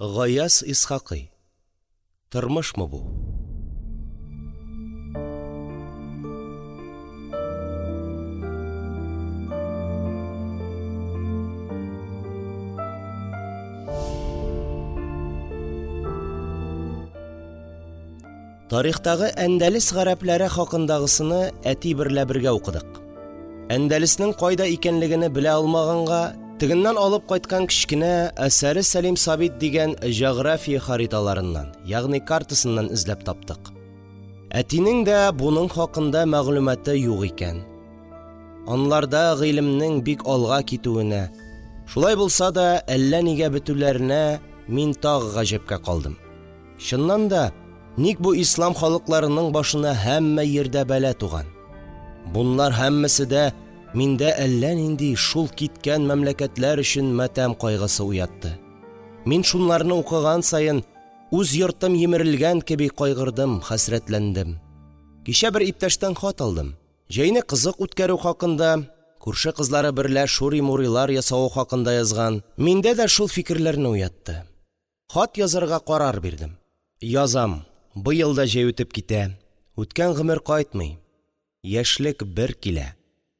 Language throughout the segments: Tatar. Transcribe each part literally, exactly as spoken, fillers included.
Гаяз Исхакый. Тормышмы бу? Тарихтагы Әндәлес гарәпләре хакындагысыны әти берлә бергә укыдык. Әндәлеснең кайда икәнлегене белә алмаганга, тегеннән алып кайткан кечкенә «Әсәре Сәлим Сабит» дигән җәгърафия хариталарыннан, ягъни картасыннан эзләп таптык. Әтинең дә буның хакында мәгълүматы юк икән. Анларда гыйлемнең бик алга китүенә, шулай булса да әллә нигә бетүләренә мин тагы гаҗәпкә калдым. Чыннан да, ник бу ислам халыкларының башына һәммә йирдә бәла туган? Бунлар һәммәсе дә миндә әллә нинди шул киткән мәмләкәтләр өчен матәм кайгысы уятты. Мин шунларны укыган саен үз йортым йимерелгән кеби кайгырдым, хәсрәтләндем. Кичә бер иптәштән хат алдым. Җәйне кызык үткәрү хакында, күрше кызлары берлә шури-мурилар ясавы хакында язган. Миндә дә шул фикерләрне уятты. Хат язарга карар бирдем. Язам. Быел да җәй үтеп китә. Үткән гомер кайтмый. Яшьлек бер килә.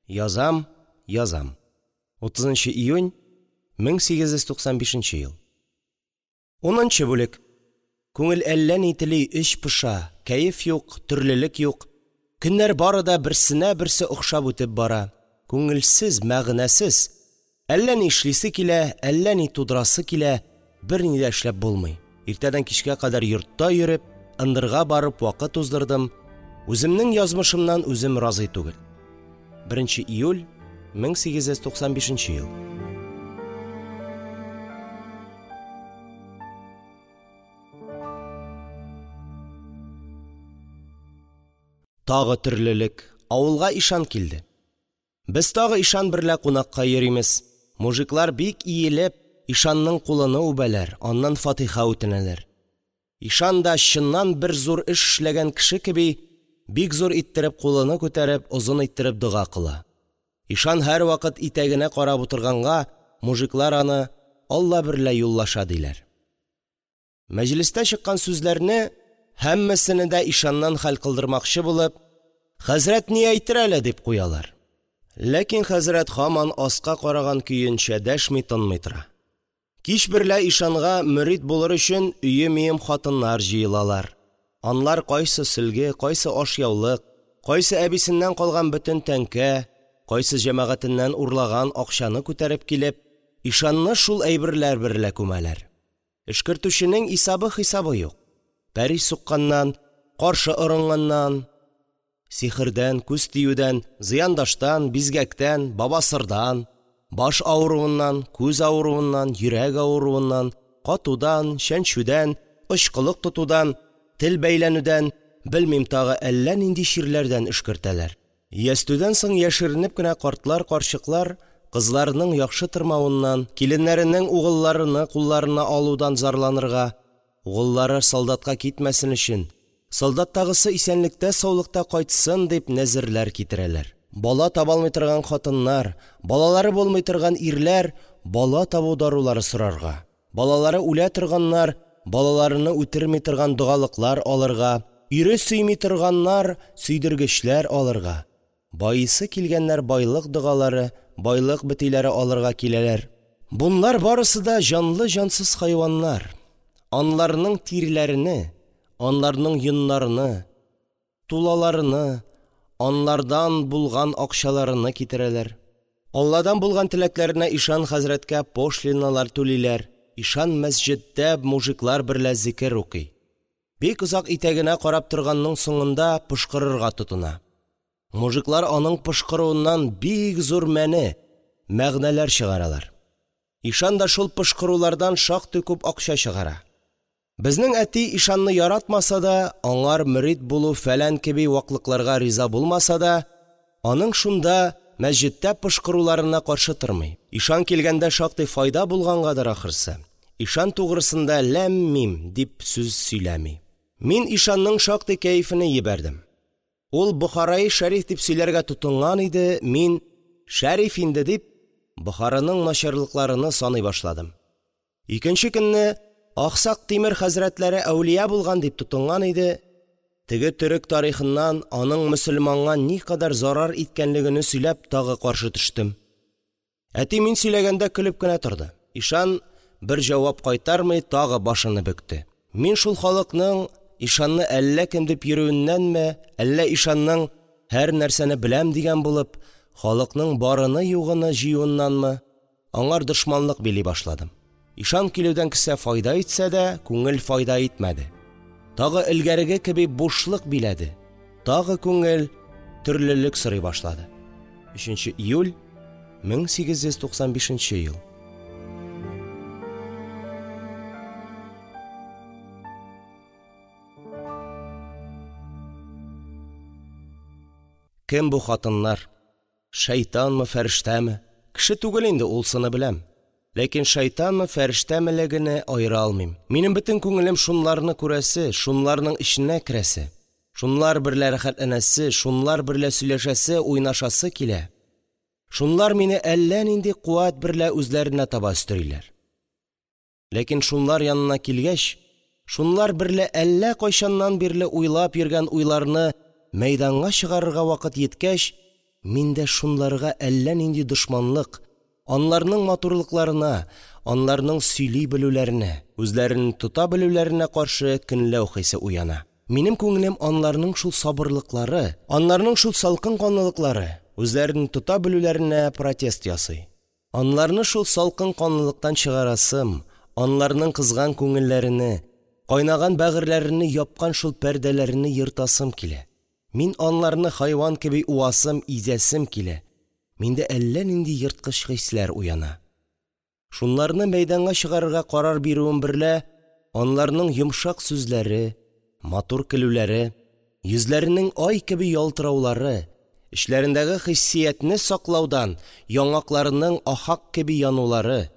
Язам, язам. утызынчы июнь мең сигез йөз туксан бишенче ел. Унынчы бүлек. Күңел әллә ни тели, эч поша, кәеф юк, төрлелек юк. Көннәр бары да берсенә берсе охшап үтеп бара. Күңелсез, мәгънәсез. Әллә ни эшлисе килә, әллә ни тудырасы килә, берни дә эшләп булмый. Иртәдән кичкә кадәр йортта йөреп, ындырга барып вакыт уздырдым. Үземнең язмышымнан үзем разый түгел. беренче июль мең сигез йөз туксан бишенче ел. Тагы төрлелек. Авылга ишан килде. Без тагы ишан берлә кунакка йөримез. Мужиклар бик иелеп ишанның кулыны үбәләр, аннан фатиха үтенәләр. Ишан да чыннан бер зур эш эшләгән кеше кеби бик зур иттереп кулыны күтәреп, озын иттереп дога кыла. Ишан һәрвакыт итәгенә карап утырганга, мужиклар аны Алла берлә юллаша диләр. Мәҗлестә чыккан сүзләрне һәммәсене дә ишаннан хәл кылдырмакчы булып, хәзрәт ни әйтер әле дип куялар. Ләкин хәзрәт һаман аска караган көенчә дәшми тынмый тора. Кич берлә ишанга мөрид булыр өчен өем-өем хатыннар җыелалар. Анлар кайсы сөлге, кайсы ашъяулык, кайсы әбисеннән калган бөтен тәңкә, кайсы җәмәгатеннән урлаган акчаны күтәреп килеп, ишанны шул әйберләр берлә күмәләр. Эшкертүченең исабы-хисабы юк. Пәри сукканнан, каршы орынганнан, сихердән, күз тиюдән, зыяндаштан, бизгәктән, бабасырдан, баш авыруыннан, күз авыруыннан, йөрәк авыруыннан, катудан, чәнчүдән, очкылык тотудан, тел бәйләнүдән, белмим тагы әллә нинди чирләрдән өшкертәләр. Ястүдән соң яшеренеп кенә картлар, карчыклар кызларының яхшы тормавыннан, киленнәренең угылларыны кулларына алудан зарланырга, угыллары солдатка китмәсен өчен, солдаттагысы исәнлектә саулыкта кайтсын дип нәзерләр китерәләр. Бала таба алмый торган хатыннар, балалары булмый торган ирләр бала табу дарулары сорарга, балалары үлә торганнар балаларыны үтерми торган догалыклар алырга, ире сөйми торганнар сөйдергечләр алырга, байысы килгәннәр байлык догалары, байлык бетиләре алырга киләләр. Бунлар барысы да җанлы-җансыз хайваннар. Анларның тиреләрене, анларның йоннарыны, тулаларыны, анлардан булган акчаларыны китерәләр. Алладан булган теләкләренә ишан хәзрәткә пошлиналар түлиләр. Ишан мәсҗиддә мужиклар берлә зикер укый. Бик озак итәгенә карап торганның соңында пышкырырга тотына. Мужиклар аның пышкыруыннан бик зур мәне, мәгънәләр чыгаралар. Ишан да шул пышкырулардан шактый күп акча чыгара. Безнең әти ишанны яратмаса да, аңар мөрид булу фәлән кеби ваклыкларга риза булмаса да, аның шунда мәсҗидтә пышкыруларына каршы тормый. Ишан килгәндә шактый файда булгангадыр ахырсы. Ишан тугрысында ләм-мим дип сүз сөйләми. Мин ишанның шактый кәефене җибәрдем. Ул Бохараи шәриф дип сөйләргә тотынган иде, мин шәриф инде дип Бохараның начарлыкларыны саный башладым. Икенче көнне Аксак Тимер хәзрәтләре әүлия булган дип тотынган иде, теге төрек тарихыннан аның мөселманга никадәр зарар иткәнлегене сөйләп, тагы каршы төштем. Әти мин сөйләгәндә көлеп кенә торды. Ишан бер җавап кайтармый, тагы башыны бөкте. Мин шул халыкның ишанны әллә кем дип йөрүеннәнме, әллә ишанның һәр нәрсәне беләм дигән булып, халыкның барыны-югыны җыюыннанмы, аңар дошманлык били башладым. Ишан килүдән кесә файда итсә дә, күңел файда итмәде. Тагы элгәреге кеби бушлык биләде. Тагы күңел төрлелек сорый башлады. өченче июль мең сигез йөз туксан бишенче ел. Кем бу хатыннар? Шайтанмы, фәрештәме? Кеше түгел инде, улсыны беләм. Ләкин шайтанмы, фәрештәмелегене аера алмыйм. Минем бөтен күңелем шунларны күрәсе, шунларның эченә керәсе, шунлар берлә рәхәтләнәсе, шунлар берлә сөйләшәсе, уйнашасы килә. Шунлар мине әллә нинди куәт берлә үзләренә таба өстериләр. Ләкин шунлар янына килгәч, шунлар берлә әллә кайчаннан бирле уйлап йөргән уйларны мәйданга чыгарырга вакыт җиткәч, миндә шунларга әллә нинди дошманлык, анларның матурлыкларына, анларның сөйли белүләренә, үзләрен тота белүләренә каршы көнләү хисе уяна. Минем күңелем анларның шул сабырлыклары, анларның шул салкын канлылыклары, үзләрен тота белүләренә протест ясый. Анларны шул салкын канлылыктан чыгарасым, анларның кызган күңелләрене, кайнаган бәгырьләрене япкан шул пәрдәләрене ертасым килә. Мин анларны хайван кеби уасым, изәсем килә. Миндә әллә нинди ерткыч хисләр уяна. Шунларны мәйданга чыгарырга карар бирүем берлә, анларның йомшак сүзләре, матур көлүләре, йөзләренең ай кеби ялтыраулары, эчләрендәге хиссиятне саклаудан яңакларының ахак кеби янулары,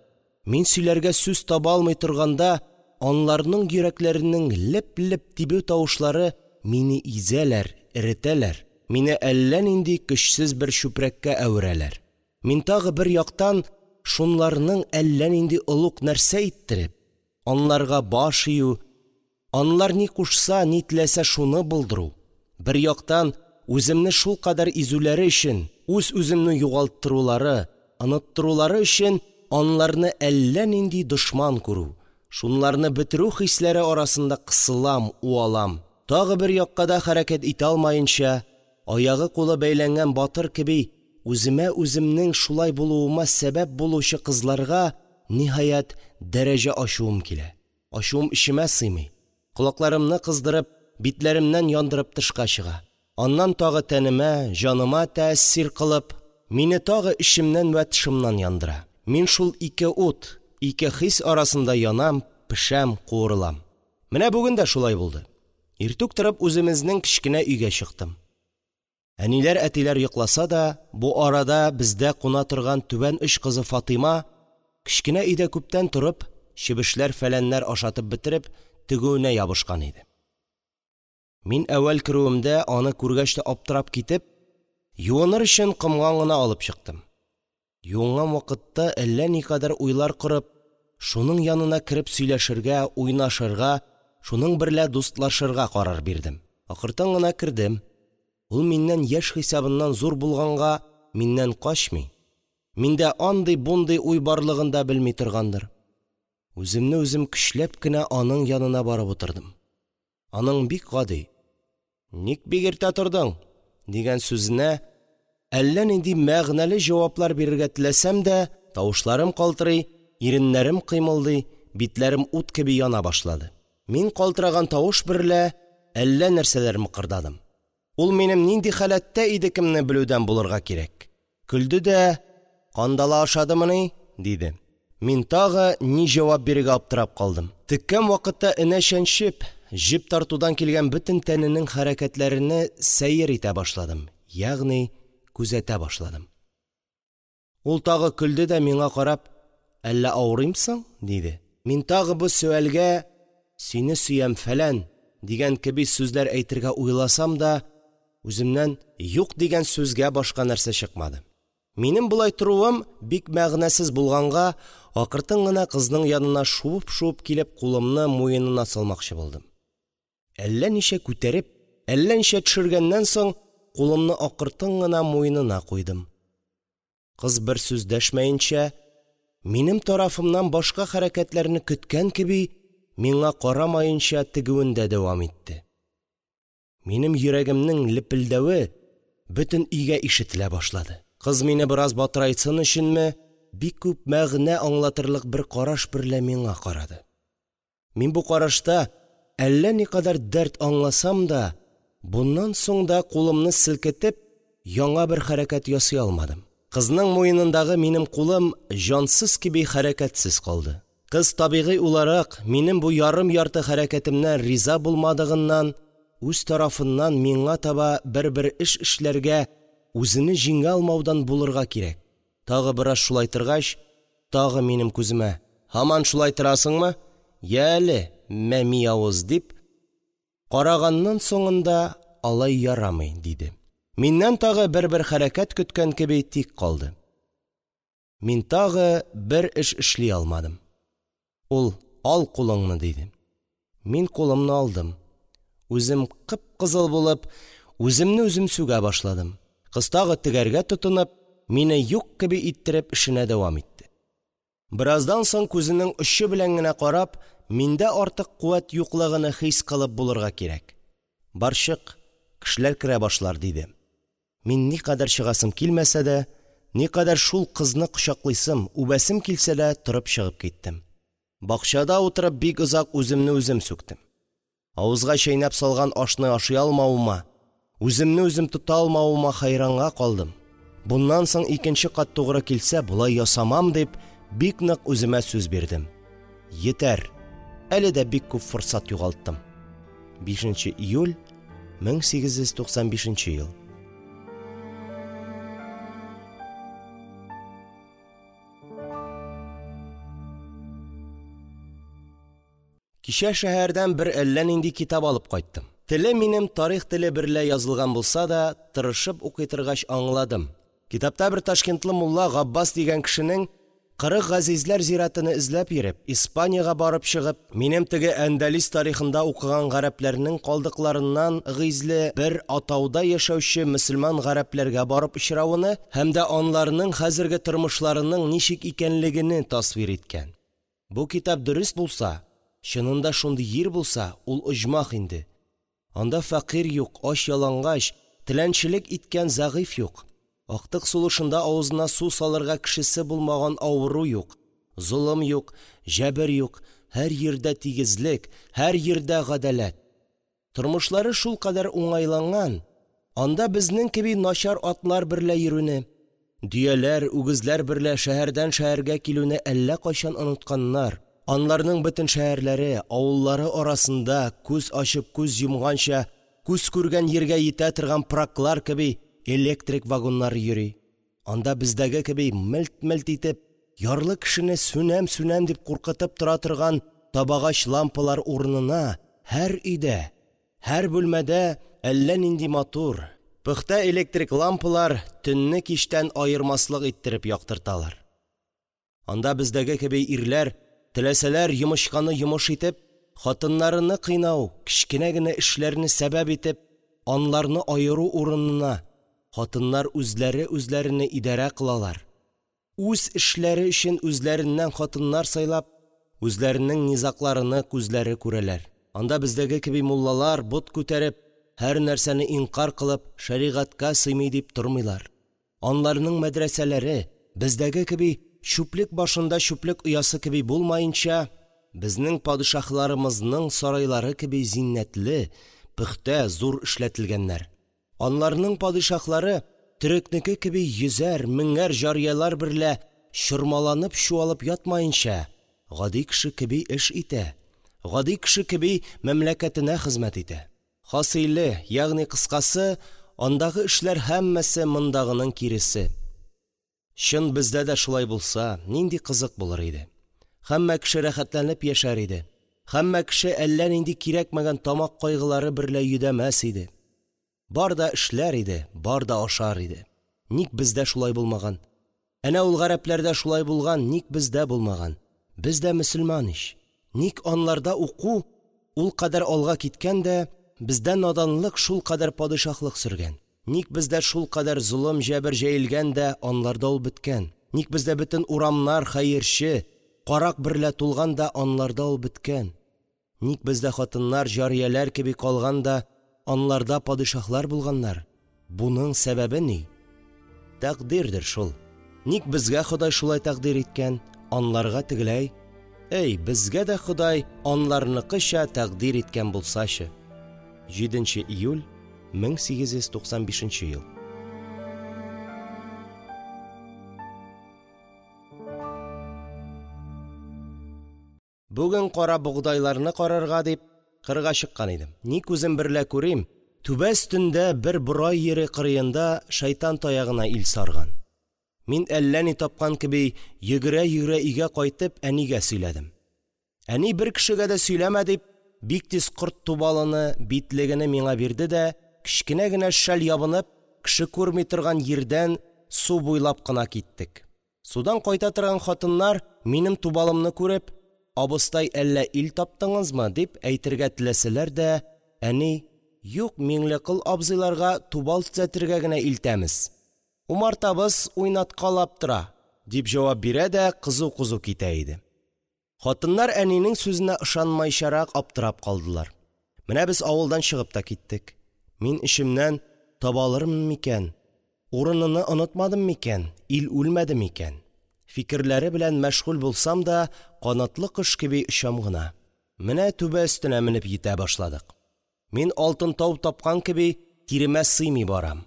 мин сөйләргә сүз таба алмый торганда, анларның йөрәкләренең леп-леп тибү тавышлары мине изәләр, эретәләр, мине әллә нинди көчсез бер чүпрәккә әверәләр. Мин тагы бер яктан шунларның әллә нинди олуг нәрсә иттереп, анларга баш ию, анлар ни кушса, ни теләсә шуны булдыру, бер яктан үземне шулкадәр изүләре өчен, үз-үземне югалттырулары, оныттырулары өчен анларны әллә нинди дошман күрү, шунларны бетерү хисләре арасында кысылам, уалам. Тагы бер якка да хәрәкәт итә алмаенча, аягы кулы бәйләнгән батыр кеби, үземә үземнең шулай булуыма сәбәп булучы кызларга ниһаять дәрәҗә ачуым килә. Ачуым эчемә сыймый. Колакларымны кыздырып, битләремнән яндырып тышка чыга. Аннан тагы тәнемә, җаныма тәэсир кылып, мине тагы эчемнән вә тышымнан яндыра. Мин шул ике ут, ике хис арасында янам, пешәм, куырылам. Менә бүген дә шулай булды. Иртүк торып үземезнең кечкенә өйгә чыктым. Әниләр, әтиләр йокласа да, бу арада бездә куна торган түбән оч кызы Фатыйма кечкенә өйдә күптән торып, чебешләр фәләннәр ашатып бетереп, тегүенә ябышкан иде. Мин әүвәл керүемдә аны күргәч тә аптырап китеп, юыныр өчен комган гына алып чыктым. Юынган вакытта әллә никадәр уйлар корып, шуның янына кереп сөйләшергә, уйнашырга, шуның берлә дустлашырга карар бирдем. Акыртын гына кердем. Ул миннән яшь хисабыннан зур булганга миннән качмый. Миндә андый-бундый уй барлыгын да белми торгандыр. Үземне үзем көчләп кенә аның янына барып утырдым. Аның бик гади: "Ник бик иртә тордың?" дигән сүзенә әллә нинди мәгънәле җаваплар бирергә теләсәм дә, тавышларым калтырый, иреннәрем кыймылдый, битләрем ут кеби яна башлады. Мин калтыраган тавыш берлә әллә нәрсәләр мыкырдадым. Ул минем нинди халәттә идекемне белүдән булырга кирәк. Көлде дә: "Кандала ашадымыни?" диде. Мин тагы ни җавап бирергә аптырап калдым. Теккән вакытта энә чәнчеп, җеп тартудан килгән бөтен тәненең хәрәкәтләрене сәер итә башладым, ягъни күзәтә башладым. Ул тагы көлде дә миңа карап: "Әллә авырыймсың?" диде. Мин тагы бу сөальгә "Сине сөям фәлән" дигән кеби сүзләр әйтергә уйласам да, үземнән "юк" дигән сүзгә башка нәрсә чыкмады. Минем болай торуым бик мәгънәсез булганга, акыртын гына кызның янына шуып-шуып килеп, кулымны муенына салмакчы булдым. Әллә ничә күтәреп, әллә ничә төшергәннән соң, кулымны акыртын гына муенына куйдым. Кыз бер сүз дәшмәенчә, минем тарафымнан башка хәрәкәтләрне көткән кеби, миңа карамаенча тегүендә дәвам итте. Минем йөрәгемнең лепелдәве бөтен өйгә ишетелә башлады. Кыз мине бераз батырайтсын өченме, бик күп мәгънә аңлатырлык бер караш берлә миңа карады. Мин бу карашта әллә никадәр дәрт аңласам да, буннан соң да кулымны селкетеп, яңа бер хәрәкәт ясый алмадым. Кызның муенындагы минем кулым җансыз кеби хәрәкәтсез калды. Кыз табигый уларак минем бу ярым-ярты хәрәкәтемнән риза булмадыгыннан, үз тарафыннан миңа таба бер-бер эш эшләргә үзене җиңә алмаудан булырга кирәк. Тагы бераз шулай торгач, тагы минем күземә: «Һаман шулай торасыңмы? Йә әле, мәми авыз!» – дип караганнан соңында: «Алай ярамый», – диде. Миннән тагы бер-бер хәрәкәт көткән кеби тик калды. Мин тагы бер эш эшли алмадым. Ул: «Ал кулыңны», – диде. Мин кулымны алдым. Үзем кып-кызыл булып, үземне үзем сүгә башладым. Кыз тагы тегәргә тотынып, мине юк кеби иттереп эшенә дәвам итте. Бераздан соң күзенең очы белән генә карап, миндә артык куәт юклыгыны хис кылып булырга кирәк: «Бар чык, кешеләр керә башлар», – диде. Мин никадәр чыгасым килмәсә дә, никадәр шул кызны кочаклыйсым, үбәсем килсә дә, торып чыгып киттем. Бакчада утырып бик озак үземне үзем сүктем. Авызга чәйнәп салган ашны ашый алмавыма, үземне үзем тота алмавыма хәйранга калдым. Буннан соң икенче кат тугры килсә, болай ясамам дип, бик нык үземә сүз бирдем. Йетәр, әле дә бик күп форсат югалттым. бишенче июль мең сигез йөз туксан бишенче ел. Кичә шәһәрдән бер әллә нинди китап алып кайттым. Теле минем тарих теле берлә язылган булса да, тырышып укый торгач аңладым. Китапта бер ташкентлы мулла Габбас дигән кешенең кырык газизләр зиратыны эзләп йөреп, Испаниягә барып чыгып, минем теге Әндәлес тарихында укыган гарәпләрнең калдыкларыннан гизле бер атауда яшәүче мөселман гарәпләргә барып очравыны һәм дә анларның хәзерге тормышларының ничек икәнлегене тасвир иткән. Бу китап дөрест булса, чынында шундый йир булса, ул оҗмах инде. Анда фәкыйрь юк, ач ялангач, теләнчелек иткән зәгыйфь юк. Актык сулышында авызына су салырга кешесе булмаган авыру юк, золым юк, җәбер юк, һәр йирдә тигезлек, һәр йирдә гадаләт. Тормышлары шулкадәр уңайланган, анда безнең кеби начар атлар берлә йөрүне, дөяләр, үгезләр берлә шәһәрдән шәһәргә килүне әллә кайчан онытканнар. Анларның бөтен шәһәрләре, авыллары арасында күз ачып күз йомганча, күз күргән йиргә йитә торган пыраклар кеби электрик вагоннары йөри. Анда бездәге кеби мелт-мелт итеп, ярлы кешене сүнәм-сүнәм дип куркытып тора торган табагач лампалар урынына һәр өйдә, һәр бүлмәдә әллә нинди матур, пөхтә электрик лампалар төнне кичтән аермаслык иттереп яктырталар. Анда бездәге кеби ирләр теләсәләр йомычканы йомыш итеп, хатыннарыны кыйнау, кечкенә генә эшләрне сәбәп итеп, анларны аеру урынына хатыннар үзләре үзләрене идарә кылалар. Үз эшләре өчен үзләреннән хатыннар сайлап, үзләренең низакларыны күзләре күрәләр. Анда бездәге кеби муллалар бот күтәреп, һәр нәрсәне инкар кылып, шәригатькә сыймый дип тормыйлар. Анларның мәдрәсәләре бездәге кеби чүплек башында чүплек оясы кеби булмаенча, безнең падишаһларымызның сарайлары кеби зиннәтле, пөхтә, зур эшләтелгәннәр. Анларның падишаһлары төрекнеке кеби йөзәр, меңәр җарияләр берлә чормаланып чуалып ятмаенча, гади кеше кеби эш итә, гади кеше кеби мәмләкәтенә хезмәт итә. Хасыйле, ягъни кыскасы, андагы эшләр һәммәсе мондагының киресе. Чын бездә дә шулай булса, нинди кызык булыр иде. Һәммә кеше рәхәтләнеп яшәр иде. Һәммә кеше әллә нинди кирәкмәгән тамак кайгылары берлә йөдәмәс иде. Бар да эшләр иде, бар да ашар иде. Ник бездә шулай булмаган? Әнә ул гарәпләрдә шулай булган, ник бездә булмаган? Без дә мөселман ич. Ник аларда уку ул кадәр алга киткән дә, бездә наданлык шулкадәр падишаһлык сөргән? Ник бездә шулкадәр золым-җәбер җәелгән дә, аларда ул беткән? Ник бездә бөтен урамнар хәерче, карак берлә тулган да, аларда ул беткән? Ник бездә хатыннар җарияләр кеби калган да, аларда падишаһлар булганнар? Буның сәбәбе ни? Тәкъдирдер шул. Ник безгә Ходай шулай тәкъдир иткән, аларга тегеләй? Әй, безгә дә Ходай аларныкыча тәкъдир иткән булсачы! җиденче июль мең сигез йөз туксан бишенче ел. Бүген кара богдайларны карарга дип кырга чыккан идем. Ни күзем берлә күрим, түбә өстендә бер борай йире кырыенда шайтан таягына ил сарган. Мин әллә ни тапкан кеби йөгерә-йөгерә өйгә кайтып, әнигә сөйләдем. Әни, бер кешегә дә сөйләмә дип, бик тиз корт тубалыны, битлегене миңа бирде дә, кечкенә генә шәл ябынып, кеше күрми торган йирдән су буйлап кына киттек. Судан кайта торган хатыннар минем тубалымны күреп: «Абыстай, әллә ил таптыңызмы?» – дип әйтергә теләсәләр дә, әни: «Юк, Миңлекол абзыйларга тубал төзәтергә генә илтәмез. Умартабыз уйнаткалап тора», – дип җавап бирә дә кызу-кызу китә иде. Хатыннар әнинең сүзенә ышанмайчарак аптырап калдылар. Менә без авылдан чыгып та киттек. Мин эчемнән: «Таба алырмын микән? Урыныны онытмадым микән? Ил үлмәде микән?» фикерләре белән мәшгуль булсам да, канатлы кош кеби очам гына. Менә түбә өстенә менеп йитә башладык. Мин алтын тау тапкан кеби тиремә сыймый барам.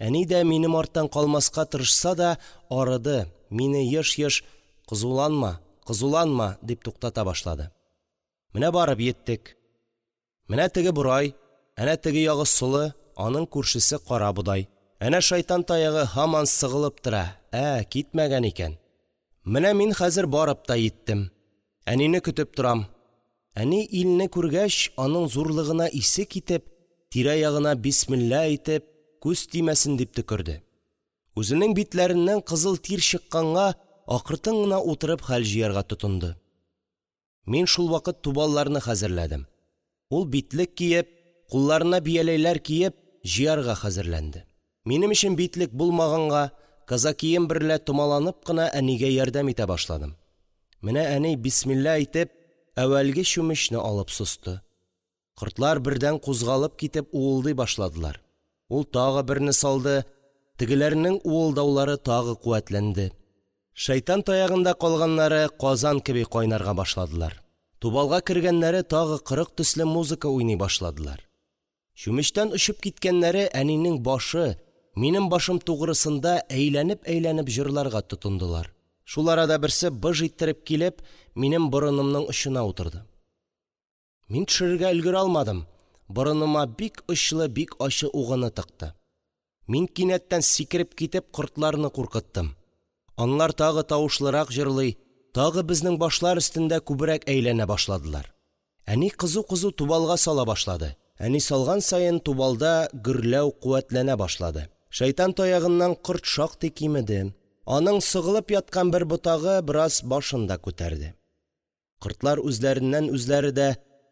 Әни дә минем арттан калмаска тырышса да арыды, мине еш-еш: «Кызуланма, кызуланма», – дип туктата башлады. Менә барып йиттек. Менә теге борай, әнә теге ягы солы, аның күршесе карабодай. Әнә шайтан таягы һаман сыгылып тора, ә, китмәгән икән. Менә мин хәзер барып та йиттем. Әнине көтеп торам. Әни илне күргәч, аның зурлыгына исе китеп, тирә-ягына бисмилла әйтеп, күз тимәсен дип төкерде. Үзенең битләреннән кызыл тир чыкканга, акыртын гына утырып хәл җыярга тотынды. Мин шул вакыт тубалларны хәзерләдем. Ул битлек киеп, кулларына бияләйләр киеп, җыярга хәзерләнде. Минем өчен битлек булмаганга, казакием берлә томаланып кына әнигә ярдәм итә башладым. Менә әни бисмилла әйтеп, әүвәлге чүмечне алып состы. Кортлар бердән кузгалып китеп уылдый башладылар. Ул тагы берне салды, тегеләрнең уылдаулары тагы куәтләнде. Шайтан таягында калганнары казан кеби кайнарга башладылар. Тубалга кергәннәре тагы кырык төсле музыка уйный башладылар. Чүмечтән очып киткәннәре әнинең башы, минем башым тугрысында әйләнеп-әйләнеп җырларга тотындылар. Шул арада берсе быж иттереп килеп, минем борынымның очына утырды. Мин төшерергә өлгерә алмадым. Борыныма бик очлы, бик ачы угыны тыкты. Мин кинәттән сикереп китеп кортларны куркыттым. Анлар тагы тавышлырак җырлый, тагы безнең башлар өстендә күбрәк әйләнә башладылар. Әни кызу-кызу тубалга сала башлады. Әни салган саен тубалда гөрләү куәтләнә башлады. Шайтан таягыннан корт шактый кимеде. Аның сыгылып яткан бер ботагы бераз башын да күтәрде. Кортлар үзләреннән үзләре дә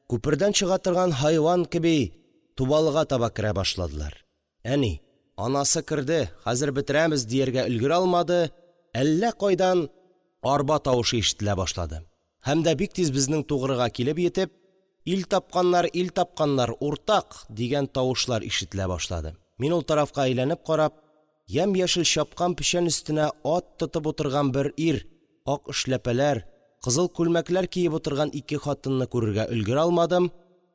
күпердән чыга торган хайван кеби тубалга таба керә башладылар. Әни: «Анасы керде, хәзер бетерәмез», – дияргә өлгерә алмады, әллә кайдан арба тавышы ишетелә башлады. Һәм дә бик тиз безнең тугрыга килеп йитеп, «Ил тапканнар, ил тапканнар, уртак!» дигән тавышлар ишетелә башлады. Мин ул тарафка әйләнеп карап, ямь-яшел чапкан печән өстенә ат тотып утырган бер ир, ак эшләпәләр, кызыл күлмәкләр киеп утырган ике хатынны күрергә өлгерә алмадым.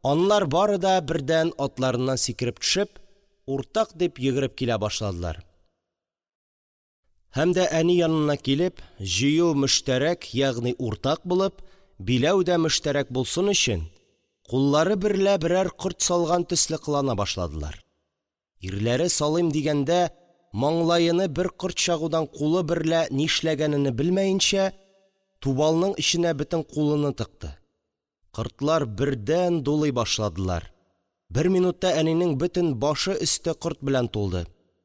Анлар бары да бердән атларыннан сикереп төшеп, «Уртак!» дип йөгереп килә башладылар. Һәм дә әни янына килеп, җыю мөштәрәк, ягъни уртак булып, биләү дә мөштәрәк булсын өчен, куллары берлә берәр корт салган төсле кылана башладылар. Ирләре салыйм дигәндә, маңлаены бер корт чагудан кулы берлә нишләгәнене белмәенчә, тубалның эченә бөтен кулыны тыкты. Кортлар бердән дулый башладылар. Бер минутта әнинең бөтен башы өсте корт белән тулды.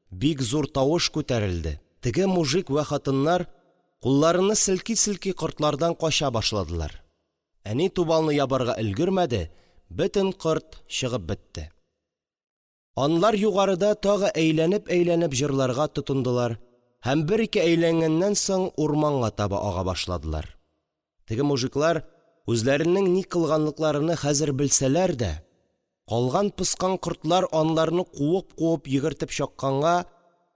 Бик зур тавыш күтәрелде. теге мужик вә хатыннар кулларыны селки-селки кортлардан кача башладылар. Әни тубалны ябарга өлгермәде, бөтен корт чыгып бетте. Анлар югарыда тагы әйләнеп-әйләнеп җырларга тотындылар һәм бер-ике әйләнгәннән соң урманга таба ага башладылар. Теге мужиклар үзләренең ни кылганлыкларыны хәзер белсәләр дә, калган-поскан кортлар анларны куып-куып йөгертеп чакканга,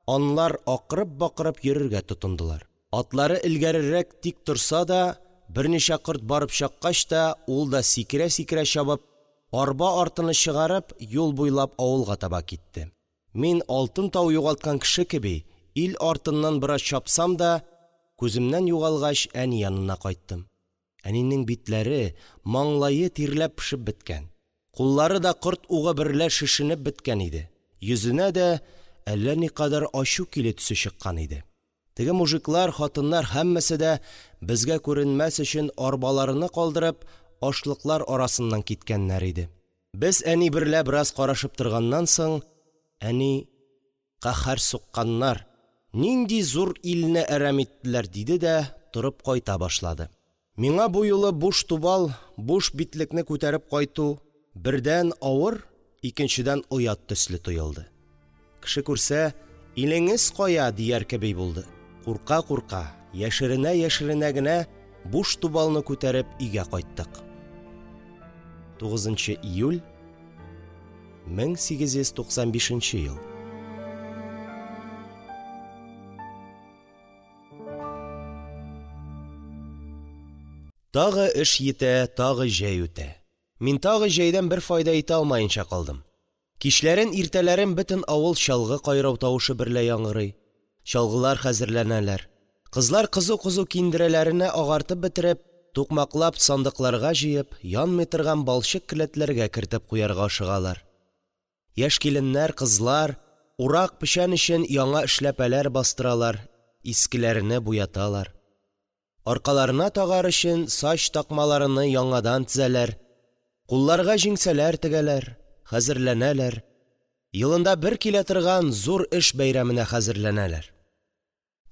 анлар акырып-бакырып йөрергә тотындылар. Атлары элгәрерәк тик торса да, берничә корт барып чаккач та, ул да сикерә-сикерә чабып, арба артыны чыгарып, юл буйлап авылга таба китте. Мин, алтын тау югалткан кеше кеби, ил артыннан бераз чапсам да, күземнән югалгач, әни янына кайттым. Әнинең битләре, маңлае тирләп-пешеп беткән, куллары да корт угы берлә шешенеп беткән иде. Йөзенә дә әллә никадәр ачу килү төсе чыккан иде. Теге мужиклар, хатыннар һәммәсе дә, безгә күренмәс өчен арбаларыны калдырып, ашлыклар арасыннан киткәннәр иде. Без әни берлә бераз карашып торганнан соң, әни: «Каһәр сукканнар, нинди зур илне әрәм иттеләр!» – диде дә торып кайта башлады. Миңа бу юлы буш тубал, буш битлекне күтәреп кайту бердән авыр, икенчедән оят төсле тоелды. Кеше күрсә, «Илеңез кая?» дияр кеби булды. Курка-курка, яшеренә-яшеренә генә буш тубалны күтәреп өйгә кайттык. тугызынчы июль мең сигез йөз туксан бишенче ел. Тагы эш йитә, тагы җәй үтә. Мин тагы җәйдән бер файда итә алмаенча калдым. Кичләрен, иртәләрен бөтен авыл чалгы кайрау тавышы берлә яңгырый. Чалгылар хәзерләнәләр. Кызлар кызу-кызу киндерәләренә агартып бетереп, тукмаклап сандыкларга җыеп, янмый торган балчык келәтләргә кертеп куярга ашыгалар. Яшь киленнәр, кызлар урак печән өчен яңа эшләпәләр бастыралар, искеләрене буяталар. Аркаларына тагар өчен сач такмаларыны яңадан тезәләр, кулларга җиңсәләр тегәләр, хәзерләнәләр. Елында бер килә торган зур эш бәйрәменә хәзерләнәләр.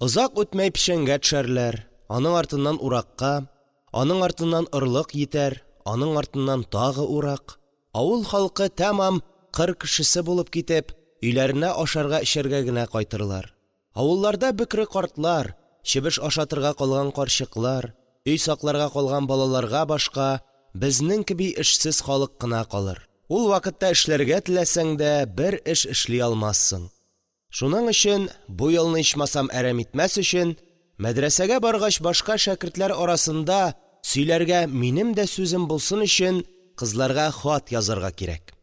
Озак үтмәй печәнгә төшәрләр, аның артыннан уракка, аның артыннан орлык йитәр, аның артыннан тагы урак. Авыл халкы тәмам кыр кешесе булып китеп, өйләренә ашарга-эчәргә генә кайтырлар. Авылларда бөкре картлар, чебеш ашатырга калган карчыклар, өй сакларга калган балаларга башка безнең кеби эшсез халык кына калыр. Ул вакытта эшләргә теләсәң дә бер эш эшли алмассың. Шуның өчен бу елны ичмасам әрәм итмәс өчен, мәдрәсәгә баргач башка шәкертләр арасында сөйләргә минем дә сүзем булсын өчен кызларга хат язарга кирәк.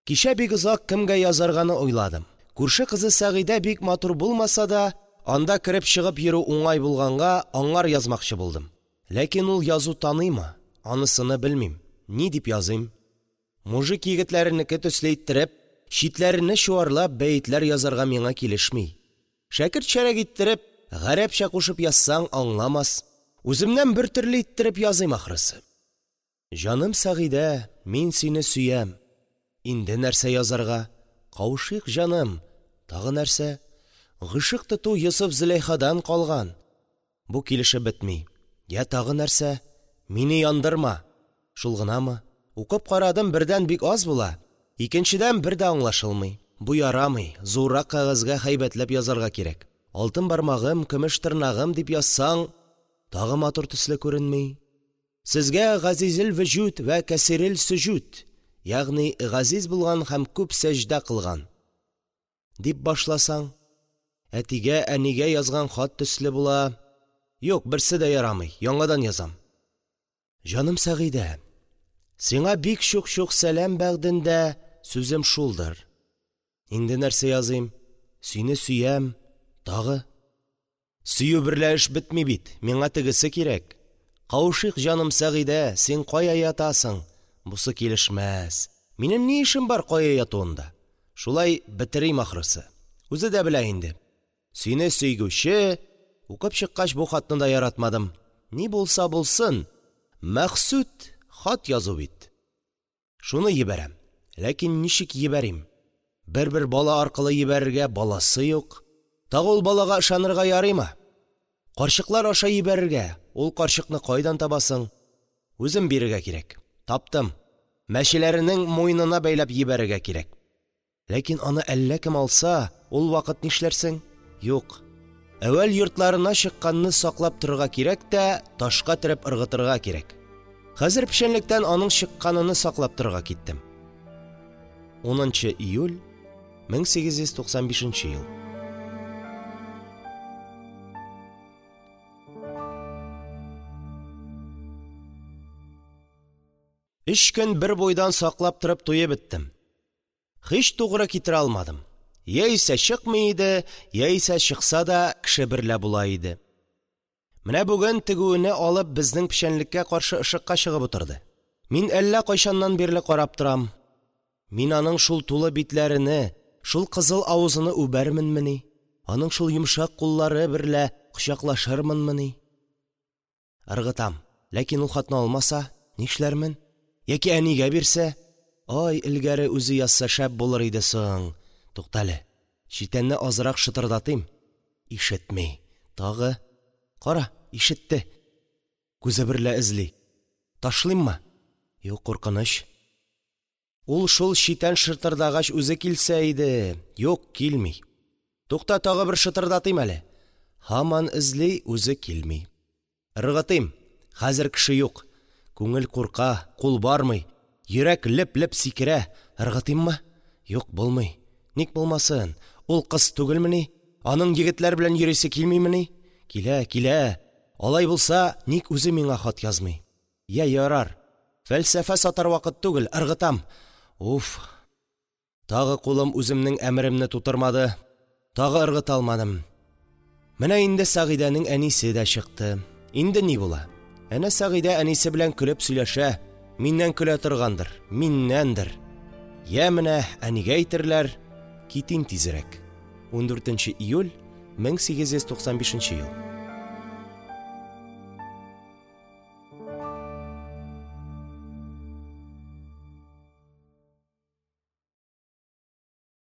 Кичә бик озак кемгә язарганы уйладым. Күрше кызы Сәгыйдә бик матур булмаса да, анда кереп чыгып йөрү уңай булганга аңар язмакчы булдым. Ләкин ул язу таныймы, анысыны белмим. Ни дип языйм? Мужик егетләренеке төсле иттереп, читләренә чуарлап бәетләр язарга миңа килешми. Шәкертчәрәк иттереп, гарәпчә кушып язсаң аңламас. Үземнән бер төрле иттереп языйм ахрысы. Җаным Сәгыйдә, мин сине сөям. Инде нәрсә язарга? Кавышыйк, җаным. Тагы нәрсә? Гыйшык тоту Йосыф Зөләйхадан калган. Бу килешеп бетми. Я тагы нәрсә? Мине яндырма. Шул гынамы? Укып карадым, бердән бик аз була, икенчедән бер дә аңлашылмый. Бу ярамый, зуррак кәгазьгә һәйбәтләп язарга кирәк. Алтын бармагым, көмеш тырнагым дип язсаң, тагы матур төсле күренми. Сезгә газизел вөҗүд вә кәсирел сөҗүд, ягъни газиз булган һәм күп сәҗдә кылган дип башласаң, әтигә, әнигә язган хат төсле була. Юк, берсе дә ярамый, яңадан язам. Җаным Сәгыйдә, сиңа бик чук-чук сәлам бәгъдендә сүзем шулдыр. Инде нәрсә языйм? Сине сөям, тагы. Сөю берлә эш бетми бит, миңа тегесе кирәк. Кавышыйк, җаным Сәгыйдә, син кая ятасың? Бусы килешмәс. Минем ни эшем бар кая ятуында? Шулай бетерим ахрысы. Үзе дә белә инде. Сине сөйгүче, укып чыккач бу хатны да яратмадым. Ни булса булсын, мәхсүд хат язу бит. Шуны ебәрәм. Ләкин ничек ебәрим? Бер-бер бала аркылы ебәрергә баласы юк. Тагы ул балага ышанырга ярыймы? Карчыклар аша җибәрергә, ул карчыкны кайдан табасың? Үзем бирергә кирәк. Таптым. Мәчеләренең муенына бәйләп җибәрергә кирәк. Ләкин аны әллә кем алса, ул вакыт нишләрсең? Юк. Әүвәл йортларына чыкканны саклап торырга кирәк тә, ташка төреп ыргытырга кирәк. Хәзер печәнлектән аның чыкканыны саклап торырга киттем. унынчы июль мең сигез йөз туксан бишенче ел. Өч көн бер буйдан саклап торып туеп беттем. Һич тугры китерә алмадым. Яисә чыкмый иде, яисә чыкса да кеше берлә була иде. Менә бүген тегүене алып безнең печәнлеккә каршы ышыкка чыгып утырды. Мин әллә кайчаннан бирле карап торам. Мин аның шул тулы битләрене, шул кызыл авызыны үбәрменмени? Аның шул йомшак куллары берлә кочаклашырмынмыни? Ыргытам. Ләкин ул хатны алмаса, нишләрмен? Яки әнигә бирсә? Ай, элгәре үзе язса шәп булыр иде соң. Туктале, читәнне азрак шытырдатыйм. Ишетми. Тагы. Кара, ишетте. Күзе берлә эзли. Ташлыйммы? Юк, куркыныч. Ул шул читән шытырдагач үзе килсә иде. Юк, килми. Тукта, тагы бер шытырдатыйм әле. Һаман эзли, үзе килми. Ыргытыйм. Хәзер кеше юк. Күңел курка, кул бармый. Йөрәк леп-леп сикерә. Ыргытыйммы? Юк, булмый. Ник булмасын? Ул кыз түгелмени? Аның егетләр белән йөрисе килмимени? Килә, килә. Алай булса, ник үзе миңа хат язмый? Я ярар. Фәлсәфә сатар вакыт түгел, ыргытам. Уф! Тагы кулым үземнең әмеремне тутырмады. Тагы ыргыта алмадым. Менә инде Сәгыйдәнең әнисе дә чыкты. Инде ни була? Әнә Сәгыйдә әнисе белән көлеп сөйләшә. Миннән көлә торгандыр, миннәндер. Я менә әнигә әйтерләр, китим тизрәк. Ундүртенче июль мең сигез йөз туксан бишенче ел.